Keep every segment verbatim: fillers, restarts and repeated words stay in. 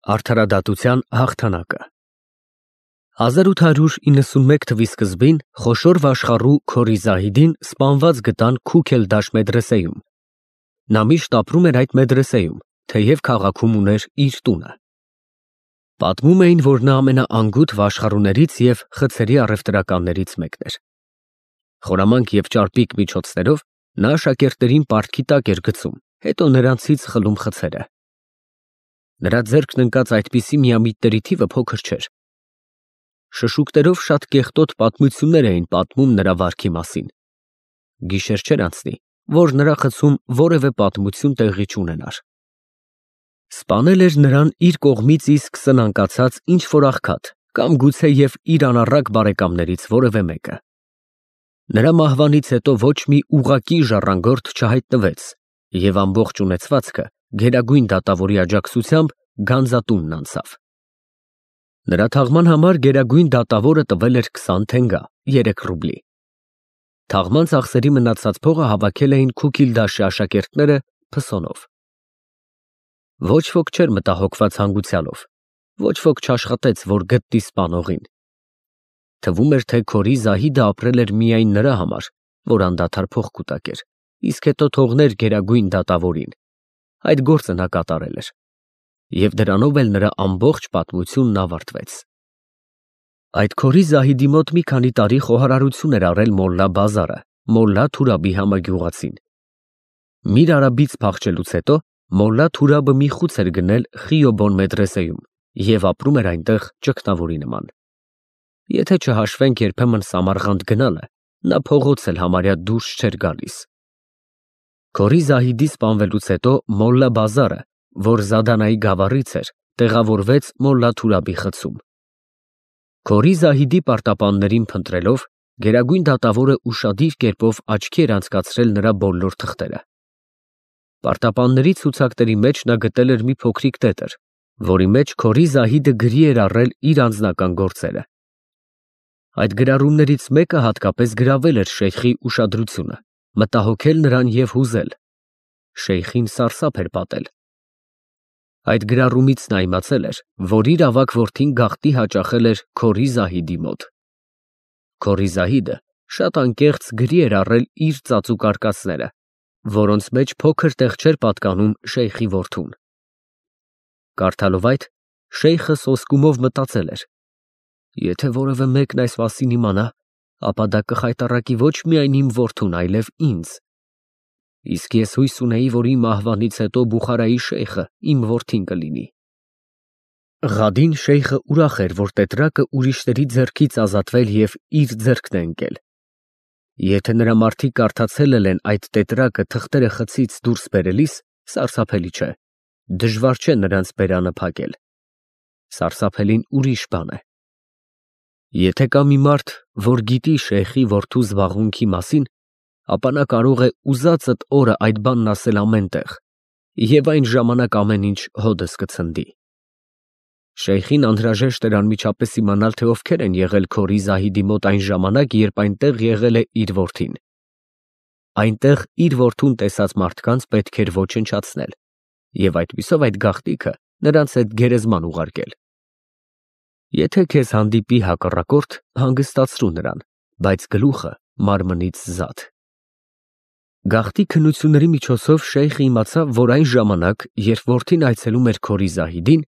Արդարադատության հաղթանակը հազար ութ հարյուր իննսունմեկ թվականի սկզբին խոշոր վաշխառու Քորի Զահիդին սպանված գտան Քուք-էլ-Դաշ մեդրեսեում։ Նա միշտ ապրում էր այդ մեդրեսեում, թեև քաղաքում ուներ իր տունը։ Պատմում էին, որ նա ամենաանգութ վաշխառուներից և խցերի առևտրականներից մեկն էր։ Խորամանկ և ճարպիկ միջոցներով նա աշակերտներին պարտքի տակ էր գցում, հետո նրանցից խլում խցերը։ Նրա ձեռքն ընկած այդպիսի միամիտների թիվը փոքր չէր։ Շշուկներով շատ կեղտոտ պատմություններ էին պատմում նրա վարքի մասին։ Գիշեր չէր անցնի, որ նրա խցում որևէ պատմություն տեղի չունենար։ Սպանել էր նրան իր կողմից իսկ սնանկացած ինչ-որ աղքատ կամ գուցեև իր անառակ բարեկամներից որևէ մեկը։ Նրա մահվանից հետո ոչ մի ուղղակի ժառանգորդ չհայտնվեց, և ամբողջ ունեցվածքը գերագույն դատավորի աջակցությամբ գանձատունն անցավ։ Նրա թաղման համար գերագույն դատավորը տվել էր քսան թենգա (երեք ռուբլի)։ Թաղման ծախսերի մնացած փողը հավաքել էին Քուք-էլ-Դաշի աշակերտները փսոնով։ Ոչ ոք չէր մտահոգված հանգուցյալով, ոչ ոք չաշխատեց, որ գտնի սպանողին։ Թվում էր, թե Քորի Զահիդը ապրել էր միայն նրա համար, որ անդադար փող կուտակեր, իսկ հետո թողներ գերագույն դատավորին։ Այդ գործը նա կատարել էր, և դրանով էլ նրա ամբողջ պատմությունն ավարտվեց։ Այդ Քորի Զահիդի մոտ մի քանի տարի խոհարարություն էր արել Մոլլա Բազարը, Մոլլա Թուրաբի համագյուղացին։ Միր Արաբից փախչելուց հետո Մոլլա Թուրաբը մի խուց էր գնել Խիյոբոն մեդրեսեում և ապրում էր այնտեղ ճգնավորի նման։ Եթե չհաշվենք երբեմն Սամարղանդ գնալը, նա փողոց էլ համարյա դուրս չէր գալիս։ Քորի Զահիդի սպանվելուց հետո Մոլլա Բազարը, որ Զադանայի գավառից էր, տեղավորվեց Մոլլա Թուրաբի խցում։ Քորի Զահիդի պարտապաններին փնտրելով, գերագույն դատավորը ուշադիր կերպով աչքի էր անցկացրել նրա բոլոր թղթերը։ Պարտապանների ցուցակների մեջ նա գտել էր մի փոքրիկ տետր, որի մեջ Քորի Զահիդը գրի էր առել իր անձնական գործերը։ Այդ գրառումներից մեկը հատկապես գրավել էր շեյխի ուշադրությունը, մտահոգել նրան և հուզել։ Շեյխին սարսափ էր պատել։ Այդ գրառումից նա իմացել էր, որ իր ավագ որդին գաղտնի հաճախել էր Քորի Զահիդի մոտ։ Քորի Զահիդը շատ անկեղծ գրի էր առել իր ծածուկ արկածները, որոնց մեջ փոքր տեղ չէր պատկանում շեյխի որդուն։ Կարդալով այդ, շեյխը սոսկումով մտածել էր. «Եթե որևէ մեկն այս մասին իմանա, ապա դա կխայտառակի ոչ միայն իմ որդուն, այլև ինձ։ Իսկ ես հույս ունեի, որ իմ մահվանից հետո Բուխարայի շեյխը իմ որդին կլինի»։ Ղադին շեյխը ուրախ էր, որ տետրակը ուրիշների ձեռքից ազատվել և իր ձեռքն է ընկել։ Եթե նրա մարդիկ կարդացել էլ են այդ տետրակը թղթերը խցից դուրս բերելիս, սարսափելի չէ, դժվար չէ նրանց բերանը փակել։ Սարսափելին ուրիշ բան է։ Եթե կա մի մարդ, որ գիտի շեյխի որդու զբաղմունքի մասին, ապա նա կարող է ուզածդ օրը այդ բանն ասել ամեն տեղ, և այն ժամանակ ամեն ինչ հօդս կցնդի։ Շեյխին անհրաժեշտ էր անմիջապես իմանալ, թե ովքեր են եղել Քորի Զահիդի մոտ այն ժամանակ, երբ այնտեղ եղել է իր որդին։ Այնտեղ իր որդուն տեսած մարդկանց պետք էր ոչնչացնել և այդպիսով այդ գաղտնիքը նրանց հետ գերեզման ուղարկել։ Եթե քեզ հանդիպի հակառակորդ, հանգստացրու նրան, բայց գլուխը մարմնից զատ։ Գաղտնի քննությունների միջոցով շեյխը իմացավ, որ այն ժամանակ, երբ որդին այցելում էր Քորի Զահիդին,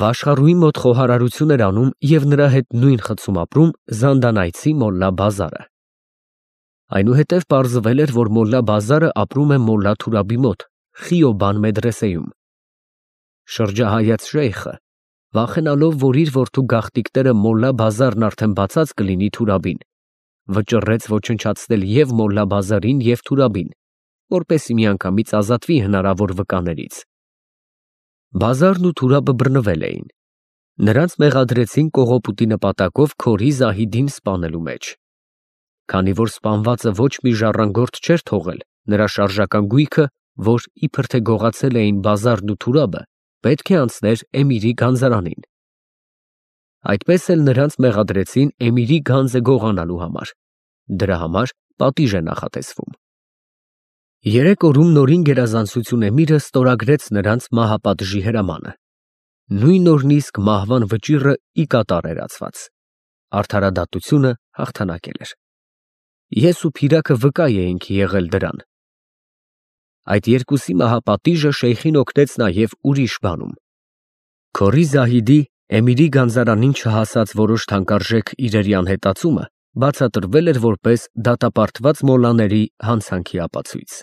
վաշխառուի մոտ խոհարարություն էր անում և նրա հետ նույն խցում ապրում զանդանայցի Մոլլա Բազարը։ Այնուհետև պարզվել էր, որ Մոլլա Բազարը ապրում է Մոլլա Թուրաբի մոտ Խիյոբան մեդրեսեում։ Շրջահայաց շեյխը, վախենալով, որ իր որդու գաղտնիքները Մոլլա Բազարն արդեն բացած կլինի Թուրաբին, վճռեց ոչնչացնել և Մոլլա Բազարին, և Թուրաբին, որպեսզի միանգամից ազատվի հնարավոր վկաներից։ Բազարն ու Թուրաբը բռնվել էին։ Նրանց մեղադրեցին կողոպուտի նպատակով Քորի Զահիդին սպանելու մեջ։ Քանի որ սպանվածը ոչ մի ժառանգորդ չէր թողել, նրա շարժական գույքը, որ իբր թե գողացել էին Բազարն ու Թուրաբը, պետք է անցներ Էմիրի գանձարանին։ Այդպես էլ նրանց մեղադրեցին Էմիրի գանձը գողանալու համար։ Դրա համար պատիժ է նախատեսվում։ Երեք օրում նորին գերազանցություն Էմիրը ստորագրեց նրանց մահապատժի հրամանը։ Նույն օրն իսկ մահվան վճիռը ի կատար էր ածված։ Արդարադատությունը հաղթանակել էր։ Ես ու Փիրակը վկա էինք եղել դրան։ Այդ երկուսի մահապատիժը շեյխին օգնեց նաև ուրիշ բանում։ Քորի Զահիդի Էմիրի գանձարանին չհասած որոշ թանկարժեք իրերի անհետացումը բացատրվել էր որպես դատապարտված մոլլաների հանցանքի ապացույց։